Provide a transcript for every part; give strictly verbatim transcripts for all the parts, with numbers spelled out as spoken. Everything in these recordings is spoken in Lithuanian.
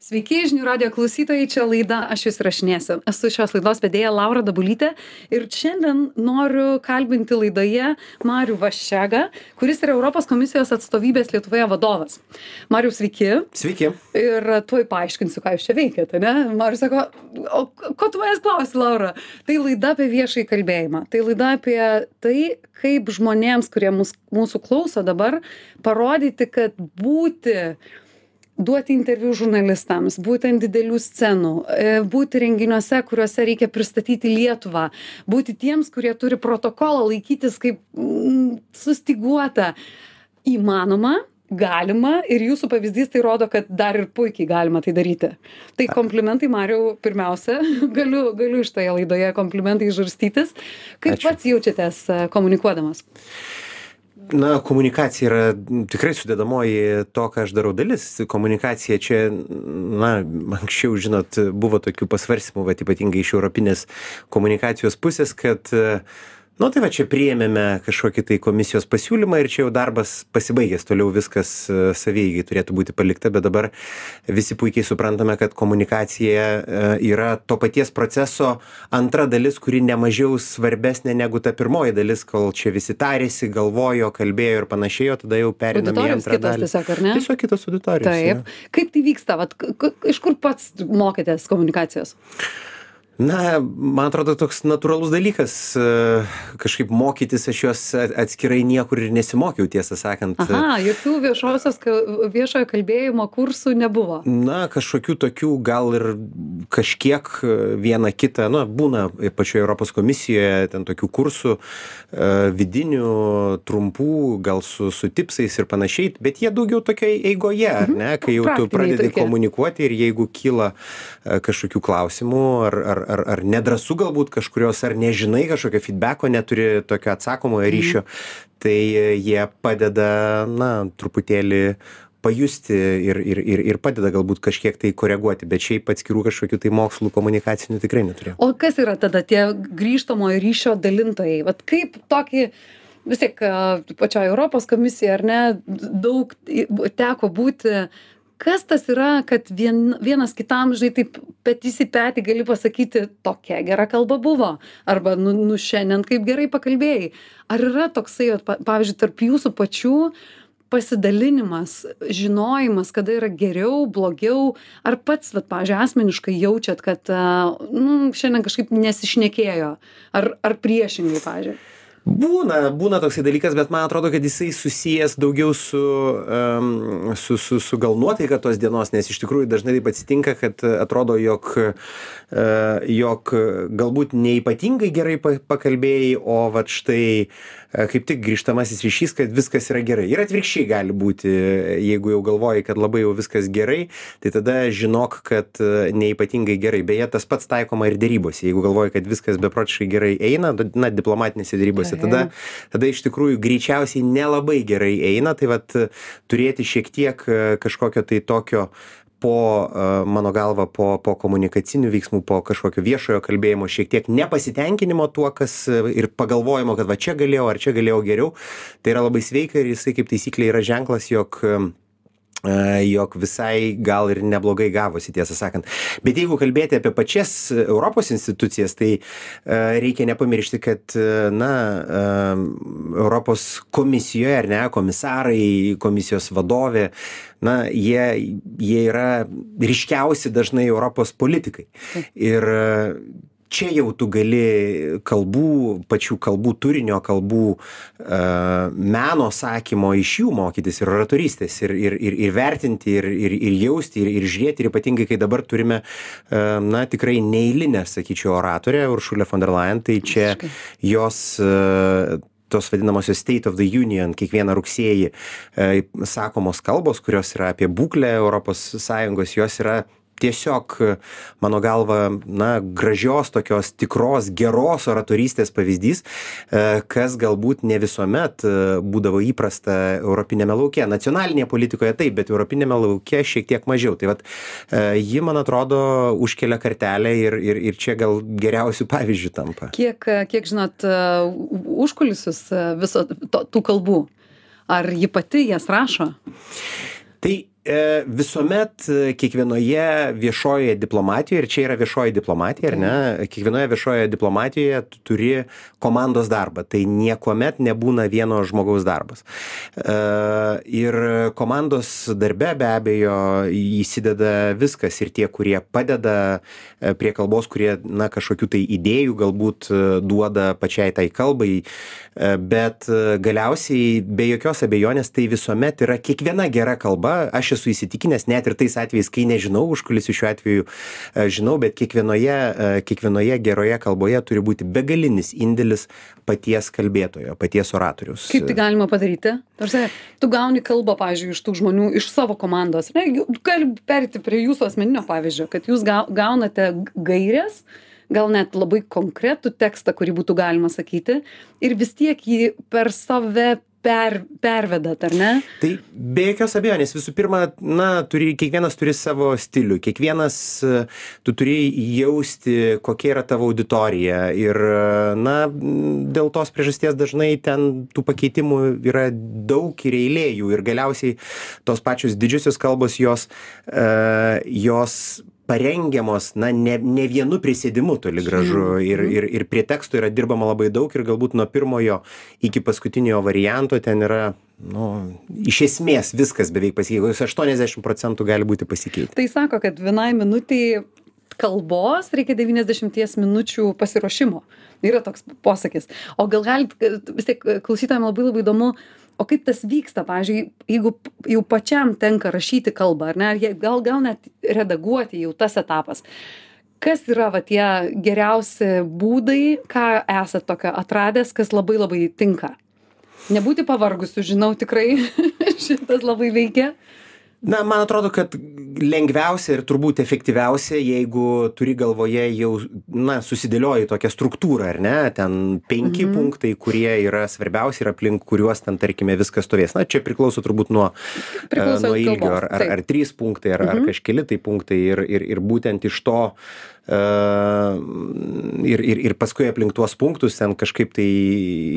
Sveiki, žinių radijo klausytojai, čia laida Aš jūs rašinėsiu. Esu šios laidos vedėja Laura Dabulytė ir šiandien noriu kalbinti laidoje Marių Vaščegą, kuris yra Europos komisijos atstovybės Lietuvoje vadovas. Mariau, sveiki. Sveiki. Ir tuoj paaiškinsiu, ką jūs čia veikiate, ne? Marius sako, o ko tu manęs klausi, Laura? Tai laida apie viešąjį kalbėjimą. Tai laida apie tai, kaip žmonėms, kurie mus, mūsų klauso dabar, parodyti, kad būti duoti interviu žurnalistams, būti ant didelių scenų, būti renginiuose, kuriuose reikia pristatyti Lietuvą, būti tiems, kurie turi protokolą laikytis kaip mm, sustiguota. Įmanoma, galima ir jūsų pavyzdys tai rodo, kad dar ir puikiai galima tai daryti. Tai komplimentai, Mariau, pirmiausia, galiu, galiu iš toje laidoje komplimentai žarstytis. Kaip Ačiū. Pats jaučiatės komunikuodamas? Na, komunikacija yra tikrai sudedamoji to, ką aš darau dalis. Komunikacija čia, na, anksčiau, žinot, buvo tokių pasvarstymų, bet ypatingai iš europinės komunikacijos pusės, kad nu tai va, čia priėmėme kažkokį tai komisijos pasiūlymą ir čia jau darbas pasibaigęs, toliau viskas savieigai turėtų būti palikta, bet dabar visi puikiai suprantame, kad komunikacija yra to paties proceso antra dalis, kuri nemažiau svarbesnė negu ta pirmoji dalis, kol čia visi tarėsi, galvojo, kalbėjo ir panašiai, o tada jau periname į antrą dalį. Tiesiog, ar ne? Tiesiog kitos auditorijos. Taip. Ja. Kaip tai vyksta? Vat, iš kur pats mokėtės komunikacijos? Na, man atrodo, toks natūralus dalykas, kažkaip mokytis, aš jos atskirai niekur ir nesimokiau, tiesą sakant. Aha, jokių viešosios, viešojo kalbėjimo kursų nebuvo. Na, kažkokių tokių gal ir kažkiek vieną kitą, nu, būna pačioje Europos komisijoje ten tokių kursų vidinių, trumpų, gal su, su tipsais ir panašiai, bet jie daugiau tokiai eigoje, ar ne, kai jau Praktiniai tu pradedi tokie. Komunikuoti ir jeigu kyla kažkokių klausimų ar, ar ar, ar nedrąsu galbūt kažkurios, ar nežinai kažkokio feedbacko, neturi tokio atsakomojo ryšio, mm. tai jie padeda, na, truputėlį pajusti ir, ir, ir, ir padeda galbūt kažkiek tai koreguoti, bet šiaip atskirų kažkokių tai mokslų komunikacinių tikrai neturėjau. O kas yra tada tie grįžtamojo ryšio dalintojai? Vat kaip tokį, vis tiek pačioje Europos komisijoje, ar ne, daug teko būti. Kas tas yra, kad vien, vienas kitam, žinai, taip petys į petį gali pasakyti, tokia gera kalba buvo, arba nu, nu šiandien kaip gerai pakalbėjai. Ar yra toksai, pavyzdžiui, tarp jūsų pačių pasidalinimas, žinojimas, kada yra geriau, blogiau, ar pats, vat, pavyzdžiui, asmeniškai jaučiat, kad nu, šiandien kažkaip nesišnekėjo, ar, ar priešingai, pavyzdžiui? Būna, būna toksai dalykas, bet man atrodo, kad jisai susijęs daugiau su, um, su, su, su gal nuotaika tos dienos, nes iš tikrųjų dažnai taip atsitinka, kad atrodo, jog, uh, jog galbūt neipatingai gerai pakalbėjai, o vat štai uh, kaip tik grįžtamasis ryšys, kad viskas yra gerai. Ir atvirkščiai gali būti, jeigu jau galvoji, kad labai jau viskas gerai, tai tada žinok, kad uh, neipatingai gerai. Beje, tas pats taikoma ir dėrybose. Jeigu galvoji, kad viskas beprotiškai gerai eina, na, diplomatinėse dėrybose, Tada, tada iš tikrųjų greičiausiai nelabai gerai eina, tai vat turėti šiek tiek kažkokio tai tokio po, mano galva, po, po komunikacinių veiksmų, po kažkokio viešojo kalbėjimo, šiek tiek nepasitenkinimo tuo, kas ir pagalvojimo, kad va čia galėjau ar čia galėjau geriau, tai yra labai sveika ir jisai kaip taisyklė yra ženklas, jog jog visai gal ir neblogai gavosi, tiesą sakant. Bet jeigu kalbėti apie pačias Europos institucijas, tai uh, reikia nepamiršti, kad, na, uh, Europos komisijoje, ar ne, komisarai, komisijos vadovė, na, jie, jie yra ryškiausi dažnai Europos politikai. Ir uh, čia jau tu gali kalbų, pačių kalbų turinio, kalbų uh, meno sakymo iš jų mokytis ir oratorystės ir, ir, ir, ir vertinti, ir, ir, ir jausti, ir, ir žiūrėti, ir ypatingai, kai dabar turime, uh, na, tikrai neeilinę, sakyčiau, oratorę, Uršulę von der Leyen, tai čia jos uh, tos vadinamosios State of the Union, kiekvieną rugsėjį uh, sakomos kalbos, kurios yra apie būklę Europos Sąjungos, jos yra tiesiog, mano galva, na, gražios tokios tikros, geros oratorystės pavyzdys, kas galbūt ne visuomet būdavo įprasta europinėme lauke. Nacionalinėje politikoje taip, bet europinėme lauke šiek tiek mažiau. Tai vat, ji, man atrodo, užkelia kartelę ir, ir, ir čia gal geriausių pavyzdžių tampa. Kiek, kiek žinot, užkulisius viso to, tų kalbų? Ar ji pati jas rašo? Tai e, visuomet e, kiekvienoje viešojoje diplomatijoje, ir čia yra viešoji diplomatija, ar ne, kiekvienoje viešojoje diplomatijoje tu turi komandos darbą, tai niekuomet nebūna vieno žmogaus darbas. E, ir komandos darbe be abejo įsideda viskas, ir tie, kurie padeda e, prie kalbos, kurie, na, kažkokių tai idėjų galbūt e, duoda pačiai tai kalbai, e, bet e, galiausiai be jokios abejonės tai visuomet yra kiekviena gera kalba. Aš esu įsitikinęs, net ir tais atvejais, kai nežinau, užkulisių šiuo atveju e, žinau, bet kiekvienoje, e, kiekvienoje geroje kalboje turi būti begalinis indėlis paties kalbėtojo, paties oratorius. Kaip tai galima padaryti? Tarsi, tu gauni kalbą, pavyzdžiui, iš tų žmonių, iš savo komandos. Ne, gali perėti prie jūsų asmeninio pavyzdžio, kad jūs gaunate gairės, gal net labai konkretų tekstą, kurį būtų galima sakyti, ir vis tiek jį per save per, pervedat, ar ne? Tai be jokios abejonės, visų pirma, na, turi, kiekvienas turi savo stilių, kiekvienas tu turi jausti, kokia yra tavo auditorija, ir, na, dėl tos priežasties dažnai ten tų pakeitimų yra daug ir eilė jų, ir galiausiai tos pačios didžiosios kalbos, jos, uh, jos parengiamos, na, ne, ne vienu prisėdimu toli gražu, ir, ir, ir prie teksto yra dirbama labai daug, ir galbūt nuo pirmojo iki paskutinio varianto ten yra, nu, iš esmės viskas beveik pasikeitė, aštuoniasdešimt procentų gali būti pasikeitę. Tai sako, kad vienai minutiai kalbos reikia devyniasdešimt minučių pasiruošimo. Yra toks posakis. O gal galit, vis tiek klausytojams labai labai įdomu, o kaip tas vyksta, pavyzdžiui, jeigu jau pačiam tenka rašyti kalbą, ar ne, ar gal, gal net redaguoti jau tas etapas. Kas yra va tie geriausi būdai, ką esat tokio atradęs, kas labai labai tinka? Nebūti pavargusiu, žinau, tikrai šitas labai veikia. Na, man atrodo, kad lengviausia ir turbūt efektyviausia, jeigu turi galvoje jau, na, susidėlioji tokią struktūrą, ar ne, ten penki mhm. punktai, kurie yra svarbiausi ir aplink kuriuos ten, tarkime, viskas stovės. Na, čia priklauso turbūt nuo, priklauso nuo ilgio, ar, ar, ar trys punktai, ar, mhm. ar kažkeli tai punktai, ir, ir, ir būtent iš to Uh, ir, ir, ir paskui aplink tuos punktus ten kažkaip tai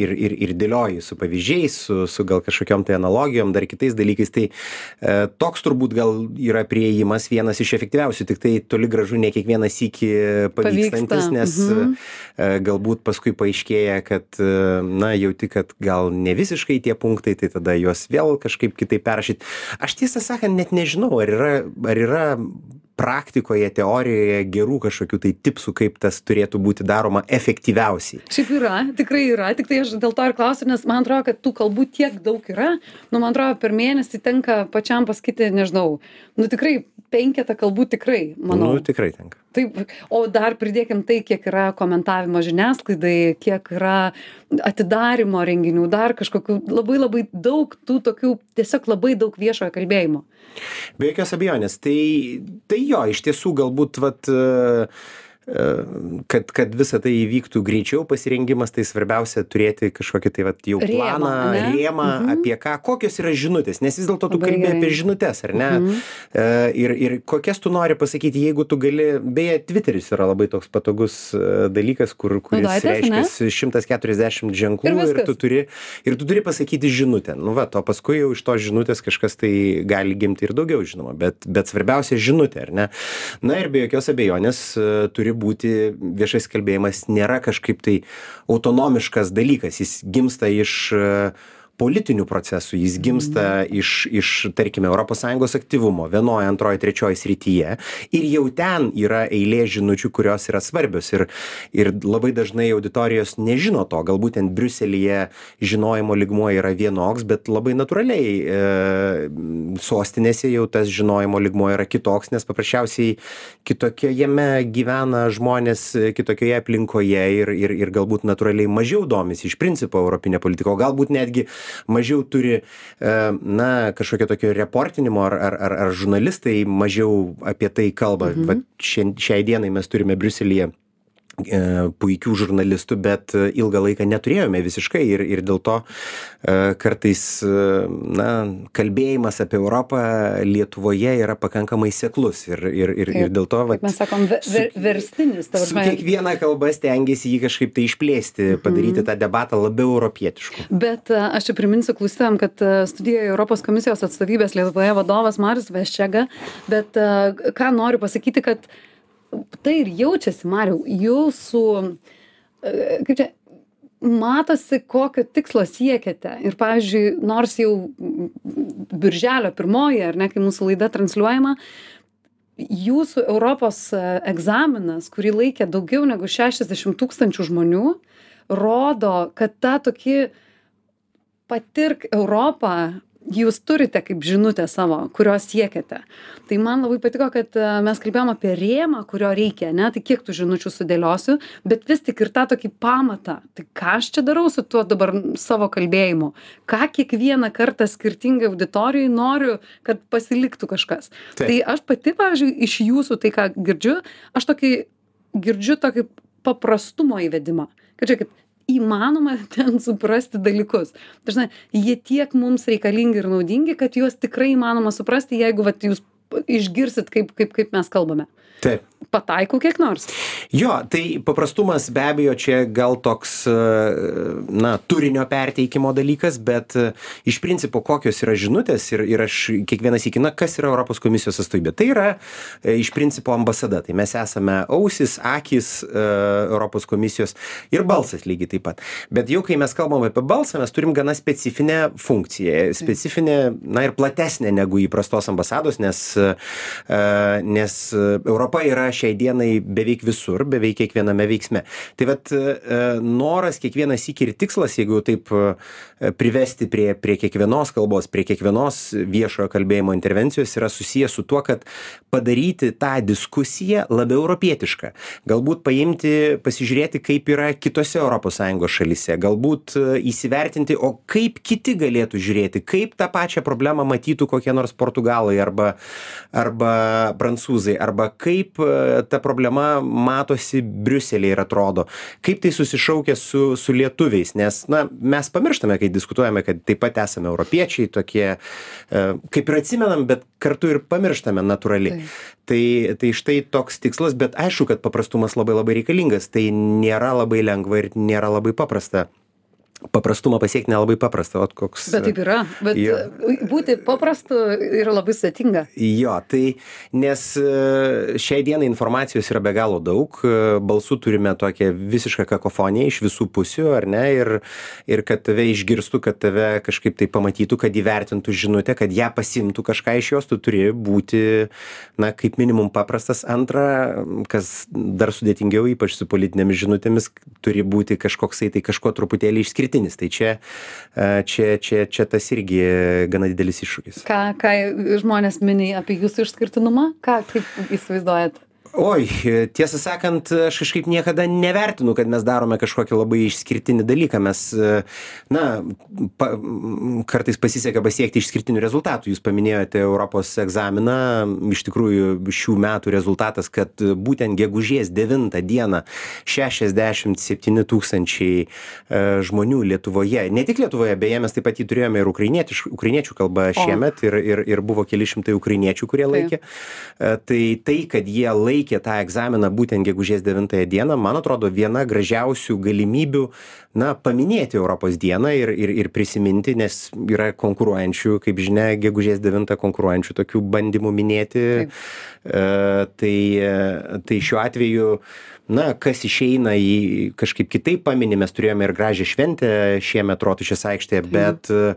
ir, ir, ir dėlioji su pavyzdžiais, su, su gal kažkokiom tai analogijom, dar kitais dalykais. Tai uh, toks turbūt gal yra priėjimas vienas iš efektyviausių, tik tai toli gražu ne kiekvienas iki pavykstantis, nes mhm. uh, galbūt paskui paaiškėja, kad, uh, na, jauti, kad gal ne visiškai tie punktai, tai tada juos vėl kažkaip kitaip perrašyti. Aš tiesą sakant net nežinau, ar yra, ar yra praktikoje, teorijoje gerų kažkokių tai tipsų, kaip tas turėtų būti daroma efektyviausiai. Šiaip yra, tikrai yra, tik tai aš dėl to ir klausiu, nes man atrodo, kad tų kalbų tiek daug yra, nu, man atrodo, per mėnesį tenka pačiam pasakyti, nežinau, nu, tikrai penketą kalbų tikrai, manau. Nu, tikrai tenka. Taip, o dar pridėkim tai, kiek yra komentavimo žiniasklaidai, kiek yra atidarimo renginių, dar kažkokių labai labai daug tų tokių, tiesiog labai daug viešojo kalbėjimo. Be jokios abejonės, tai, tai jo, iš tiesų galbūt, vat, kad, kad visa tai įvyktų greičiau pasirengimas, tai svarbiausia turėti kažkokį tai vat, jau planą, rėmą, rėmą mhm. apie ką, kokios yra žinutės, nes vis dėlto tu kalbė apie žinutės, ar ne? Mhm. Ir, ir kokias tu nori pasakyti, jeigu tu gali, beje, Twitteris yra labai toks patogus dalykas, kur, kuris reiškia šimtas keturiasdešimt ženklų ir, ir, tu turi, ir tu turi pasakyti žinutę. Nu, va, o paskui jau iš to žinutės kažkas tai gali gimti ir daugiau, žinoma, bet, bet svarbiausia žinutė, ar ne? Na ir be jokios abejonės turi būti viešas kalbėjimas nėra kažkaip tai autonomiškas dalykas, jis gimsta iš politinių procesų, jis gimsta iš, iš, tarkime, Europos Sąjungos aktyvumo vienoje, antroje, trečioje srityje, ir jau ten yra eilė žinučių, kurios yra svarbios, ir, ir labai dažnai auditorijos nežino to, galbūt ten Briuselyje žinojimo lygmuo yra vienoks, bet labai natūraliai e, sostinėse jau tas žinojimo lygmuo yra kitoks, nes paprasčiausiai kitokiojame gyvena žmonės, kitokioje aplinkoje, ir, ir, ir galbūt natūraliai mažiau domisi iš principo europinė politika, o galbūt netgi mažiau turi, na, kažkokio tokio reportinimo, ar, ar, ar, ar žurnalistai mažiau apie tai kalba. Mhm. Vat šiai dienai mes turime Briuselyje puikių žurnalistų, bet ilgą laiką neturėjome visiškai ir, ir dėl to kartais na, kalbėjimas apie Europą Lietuvoje yra pakankamai seklus ir, ir, ir, ir dėl to vat, mes sakom, ver, ver, verstinis. Su, su kiekviena kalba stengiasi jį kažkaip tai išplėsti, padaryti tą debatą labiau europietišku. Bet aš čia priminsiu klausytojam, kad studijoje Europos komisijos atstovybės Lietuvoje vadovas Marius Vaščega, bet ką noriu pasakyti, kad tai ir jaučiasi, Mariau, jūsų, kaip čia, matosi, kokio tikslo siekiate. Ir, pavyzdžiui, nors jau birželio pirmoji, ar ne, kai mūsų laida transliuojama, jūsų Europos egzaminas, kurį laikė daugiau negu šešiasdešimt tūkstančių žmonių, rodo, kad tą tokį patirk Europą jūs turite kaip žinutę savo, kurios siekiate. Tai man labai patiko, kad mes kalbėjom apie rėmą, kurio reikia, ne? Tai kiek tų žinučių sudėliosiu, bet vis tik ir tą tokį pamatą. Tai ką aš čia darau su tuo dabar savo kalbėjimu? Ką kiekvieną kartą skirtingai auditorijai noriu, kad pasiliktų kažkas? Taip. Tai aš pati, pavyzdžiui, iš jūsų tai, ką girdžiu, aš tokį girdžiu tokį paprastumo įvedimą. Kad žiūrėkit, įmanoma ten suprasti dalykus. Dažnai jie tiek mums reikalingi ir naudingi, kad juos tikrai įmanoma suprasti, jeigu vat, jūs išgirsit, kaip, kaip, kaip mes kalbame. Taip. Pataikau kiek nors. Jo, tai paprastumas be abejo čia gal toks, na, turinio perteikimo dalykas, bet iš principo kokios yra žinutės ir, ir aš kiekvienas įkina, kas yra Europos komisijos atstovybė. Tai yra iš principo ambasada. Tai mes esame ausis, akis Europos komisijos ir balsas lygiai taip pat. Bet jau kai mes kalbam apie balsą, mes turim gana specifinę funkciją. Specifinę, na ir platesnę negu įprastos ambasados, nes, nes Europa yra šiai dienai beveik visur, beveik kiekviename veiksme. Tai vat noras kiekvienas sykį ir tikslas, jeigu taip privesti prie, prie kiekvienos kalbos, prie kiekvienos viešojo kalbėjimo intervencijos yra susijęs su tuo, kad padaryti tą diskusiją labiau europietišką. Galbūt paimti, pasižiūrėti, kaip yra kitose Europos Sąjungos šalyse. Galbūt įsivertinti, o kaip kiti galėtų žiūrėti, kaip tą pačią problemą matytų kokie nors portugalai arba, arba prancūzai, arba kaip ta problema matosi Briuselyje ir atrodo, kaip tai susišaukia su, su lietuviais, nes na, mes pamirštame, kai diskutuojame, kad taip pat esame europiečiai, tokie, kaip ir atsimenam, bet kartu ir pamirštame natūraliai. Tai, tai štai toks tikslas, bet aišku, kad paprastumas labai labai reikalingas, tai nėra labai lengva ir nėra labai paprasta. Paprastumą pasiekti nelabai paprasta, o koks... Bet taip yra, bet jo. Būti paprastu yra labai sudėtinga. Jo, tai nes šiai dienai informacijos yra be galo daug, balsų turime tokią visišką kakofoniją iš visų pusių, ar ne, ir, ir kad tave išgirstų, kad tave kažkaip tai pamatytų, kad įvertintų žinutę, kad ją pasimtų kažką iš jos, tu turi būti, na, kaip minimum paprastas. Antra, kas dar sudėtingiau, ypač su politinėmis žinutėmis, turi būti kažkoksai, tai kažko truputėlį išskirti. Tai čia, čia, čia, čia tas irgi gana didelis iššūkis. Ką, ką žmonės mini apie jūsų išskirtinumą? Ką, kaip įsivaizduojat? Oi, tiesą sakant, aš kažkaip niekada nevertinu, kad mes darome kažkokį labai išskirtinį dalyką. Mes, na, pa, kartais pasiseka pasiekti išskirtinių rezultatų. Jūs paminėjote Europos egzaminą. Iš tikrųjų, šių metų rezultatas, kad būtent gegužės devintą dieną šešiasdešimt septyni tūkstančiai žmonių Lietuvoje, ne tik Lietuvoje, beje, mes taip pat jį turėjome ir ukrainiečių kalbą šiemet ir, ir, ir buvo keli šimtai ukrainiečių, kurie laikė. Tai tai, kad jie laikė laikė tą egzaminą būtent gegužės devintąją dieną, man atrodo, viena gražiausių galimybių, na, paminėti Europos dieną ir, ir, ir prisiminti, nes yra konkuruojančių, kaip žinia, gegužės devintą konkuruojančių tokių bandymų minėti. E, tai, tai šiuo atveju, na, kas išeina į kažkaip kitaip paminį, mes turėjome ir gražią šventę šiemet Rotušės aikštėje, bet e,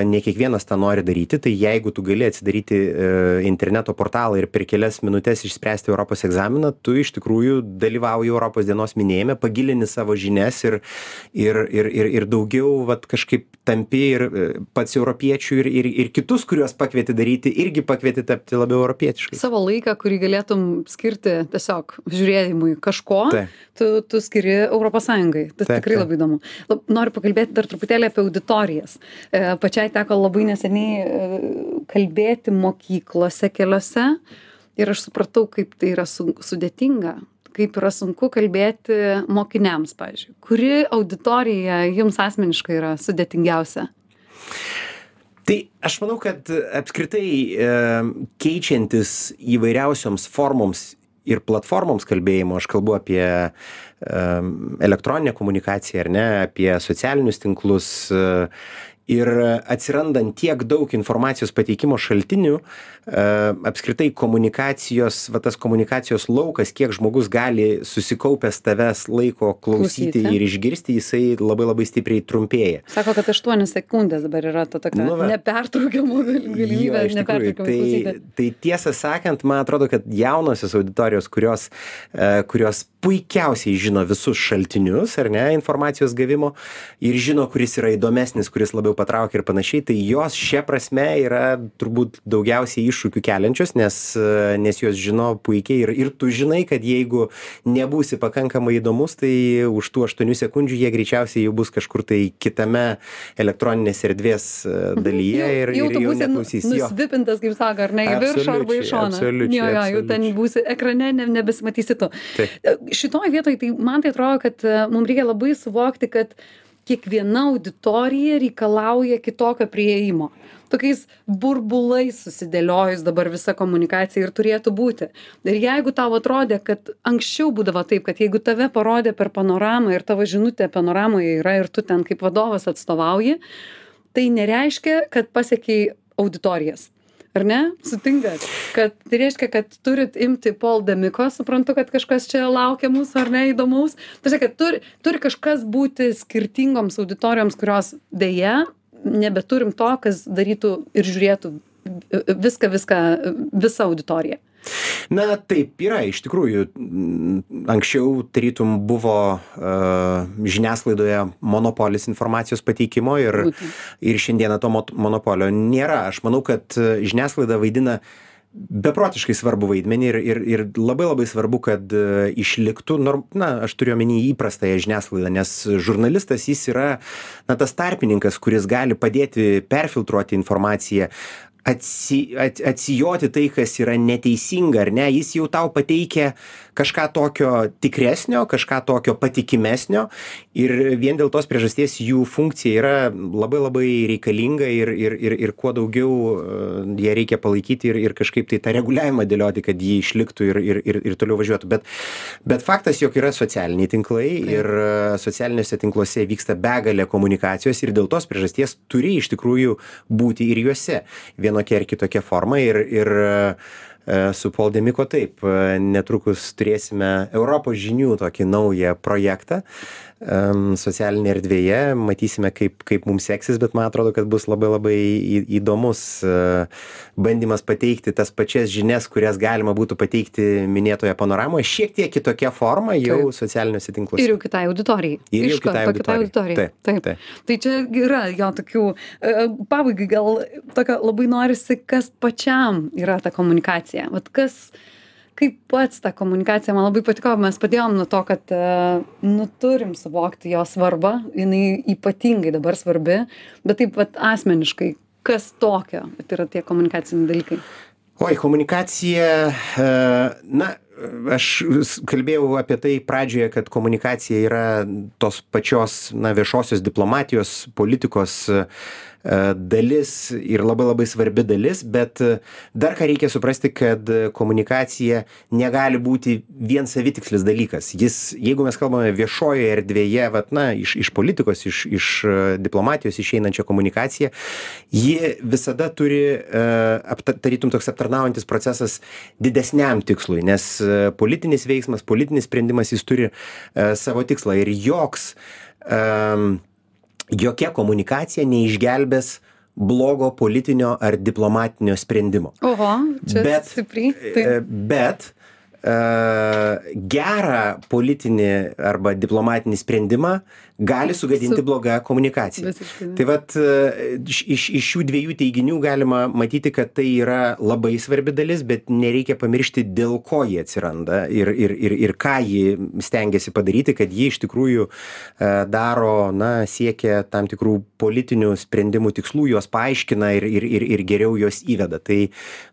ne kiekvienas tą nori daryti, tai jeigu tu gali atsidaryti e, interneto portalą ir per kelias minutės išspręsti Europos egzaminą, tu iš tikrųjų dalyvauji Europos dienos minėjime, pagilini savo žinias ir, ir, ir, ir, ir daugiau vat, kažkaip tampi ir pats europiečių ir, ir, ir kitus, kuriuos pakvieti daryti, irgi pakvieti tapti labiau europietiškai. Savo laiką, kurį galėtum skirti tiesiog žiūrėjimui kažko, tu, tu skiri Europos Sąjungai. Tai taip, tikrai taip. Labai įdomu. Lab, noriu pakalbėti dar truputėlį apie auditorijas. E, pačiai teko labai neseniai e, kalbėti mokyklose keliose ir aš supratau, kaip tai yra su, sudėtinga. kaip yra sunku kalbėti mokiniams, pavyzdžiui? Kuri auditorija jums asmeniškai yra sudėtingiausia? Tai aš manau, kad apskritai e, keičiantis įvairiausioms formoms ir platformoms kalbėjimo, aš kalbu apie e, elektroninę komunikaciją, ar ne, apie socialinius tinklus, e, ir atsirandant tiek daug informacijos pateikimo šaltinių, e, apskritai komunikacijos, va tas komunikacijos laukas, kiek žmogus gali susikaupęs tavęs laiko klausyti Klausyti. ir išgirsti, jisai labai labai stipriai trumpėja. Sako, kad aštuonios sekundės dabar yra ta tokia Nu va. nepertraukiama galimybė, Jo, iš tikrųjų, nepertraukiamai tai, klausyti. tai tiesą sakant, man atrodo, kad jaunosios auditorijos, kurios, e, kurios puikiausiai žino visus šaltinius, ar ne, informacijos gavimo ir žino, kuris yra įdomesnis, kuris labiau patraukia ir panašiai, tai jos šia prasme yra turbūt daugiausiai iššūkių keliančios, nes, e, nes jos žino puikiai ir, ir tu žinai, kad jeigu nebūsi pakankamai įdomus, tai už tų aštuonių sekundžių jie greičiausiai jau bus kažkur tai kitame elektroninės erdvės e, dalyje ir, jau, jau ir tu jau būsi neklausys jo. nusvipintas, kaip sako, ar ne, į viršų arba į Absoliučiai, šoną. absoliučiai, Jo, jo, jau ten absoliučiai. būsi ekrane, ne, nebesimatysi tu. Taip. Šitoj vietoj, tai man tai atrodo, kad e, mums reikia labai suvokti, kad kiekviena auditorija reikalauja kitokio prieimo. Tokiais burbulais susidėliojus dabar visa komunikacija ir turėtų būti. Ir jeigu tau atrodė, kad anksčiau būdavo taip, kad jeigu tave parodė per panoramą ir tavo žinutė panoramoje yra ir tu ten kaip vadovas atstovauji, tai nereiškia, kad pasiekiai auditorijas. Ar ne? Sutinkat? Kad tai reiškia, kad turit imti Paul Demiko, suprantu, kad kažkas čia laukia mūsų, ar ne, įdomaus. Tai reiškia, kad turi, turi kažkas būti skirtingoms auditorijoms, kurios dėja nebeturim to, kas darytų ir žiūrėtų viską, viską, visą auditoriją. Na taip yra, iš tikrųjų, m, anksčiau tarytum buvo uh, žiniasklaidoje monopolis informacijos pateikimo ir, Būtent. ir šiandieną to mot- monopolio nėra. Aš manau, kad uh, žiniasklaida vaidina beprotiškai svarbu vaidmenį ir, ir, ir labai labai svarbu, kad uh, išliktų, norm, na, aš turiu omeny įprastąją žiniasklaidą, nes žurnalistas jis yra, na, tas tarpininkas, kuris gali padėti perfiltruoti informaciją, atsi, at, atsijoti tai, kas yra neteisinga, ar ne, jis jau tau pateikia kažką tokio tikresnio, kažką tokio patikimesnio ir vien dėl tos priežasties jų funkcija yra labai labai reikalinga ir, ir, ir, ir kuo daugiau uh, ją reikia palaikyti ir, ir kažkaip tai tą reguliavimą dėlioti, kad jį išliktų ir, ir, ir, ir toliau važiuotų. Bet, bet faktas, jog yra socialiniai tinklai Taip. ir uh, socialiniuose tinkluose vyksta begalė komunikacijos ir dėl tos priežasties turi iš tikrųjų būti ir juose vienokia ar kitokia forma ir, ir uh, su Paul Demiko taip, netrukus turėsime Europos žinių tokį naują projektą um, socialinėje erdvėje, matysime kaip, kaip mums seksis, bet man atrodo, kad bus labai labai į- įdomus uh, bandymas pateikti tas pačias žinias, kurias galima būtų pateikti minėtoje panoramoje, šiek tiek kitokia forma jau Taip. socialiniuose tinkluose. Ir jau kitai auditorijai. Ir jau Iš karto kitai kitai auditorijai. auditorijai. Taip, Taip. taip. Tai čia yra jo tokių, e, pabaigai gal tokio labai norisi, kas pačiam yra ta komunikacija. Vat kas, kaip pats ta komunikacija, man labai patiko, mes padėjom nuo to, kad e, nu turim suvokti jo svarbą, jinai ypatingai dabar svarbi, bet taip pat asmeniškai, kas tokio, tai yra tie komunikaciniai dalykai. Oi, komunikacija, e, na, aš s- kalbėjau apie tai pradžioje, kad komunikacija yra tos pačios, na, viešosios diplomatijos, politikos e, dalis ir labai labai svarbi dalis, bet e, dar ką reikia suprasti, kad komunikacija negali būti vien savitikslis dalykas. Jis, jeigu mes kalbame viešojoje erdvėje, vat, na, iš, iš politikos, iš, iš e, diplomatijos išeinančią komunikaciją, ji visada turi, e, apta- tarytum toks aptarnaujantis procesas didesniam tikslui, nes e, politinis veiksmas, politinis sprendimas, jis turi e, savo tikslą ir joks, e, jokia komunikacija neišgelbės blogo politinio ar diplomatinio sprendimo. Oho, čia Bet, stipriai. e, Taip. Bet e, gerą politinį arba diplomatinį sprendimą gali sugadinti Su- blogą komunikaciją. Visiškai. Tai vat e, iš, iš iš šių dviejų teiginių galima matyti, kad tai yra labai svarbi dalis, bet nereikia pamiršti, dėl ko jie atsiranda ir, ir, ir, ir ką ji stengiasi padaryti, kad jie iš tikrųjų e, daro, na, siekia tam tikrų politinių sprendimų tikslų, juos paaiškina ir, ir, ir, ir geriau juos įveda. Tai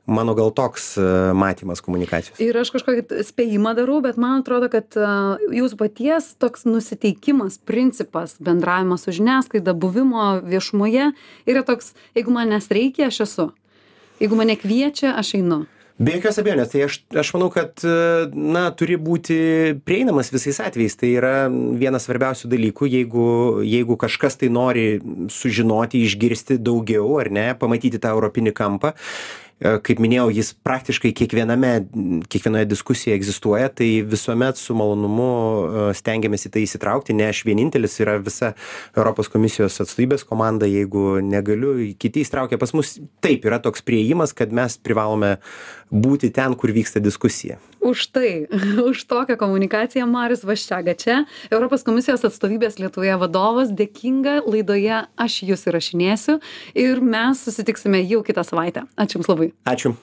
mano gal toks e, matymas komunikacijos. Ir aš kažkokią kad spėjimą darau, bet man atrodo, kad uh, jūsų paties toks nusiteikimas, principas, bendravimas su žiniasklaida, buvimo viešumoje yra toks, jeigu manęs reikia, aš esu. Jeigu mane kviečia, aš einu. Be jokios abejonės, tai aš, aš manau, kad na, turi būti prieinamas visais atvejais. Tai yra vienas svarbiausių dalykų, jeigu, jeigu kažkas tai nori sužinoti, išgirsti daugiau ar ne, pamatyti tą europinį kampą. Kaip minėjau, jis praktiškai kiekviename, kiekvienoje diskusijoje egzistuoja, tai visuomet su malonumu stengiamės į tai įsitraukti, ne aš vienintelis, yra visa Europos komisijos atstovybės komanda, jeigu negaliu, kiti įsitraukia pas mus. Taip, yra toks priėjimas, kad mes privalome būti ten, kur vyksta diskusija. Už tai, už tokią komunikaciją Marius Vaščega čia, Europos komisijos atstovybės Lietuvoje vadovas, dėkinga laidoje aš jūs įrašinėsiu ir mes susitiksime jau kitą savaitę. Ačiū Jums labai. Ačiū.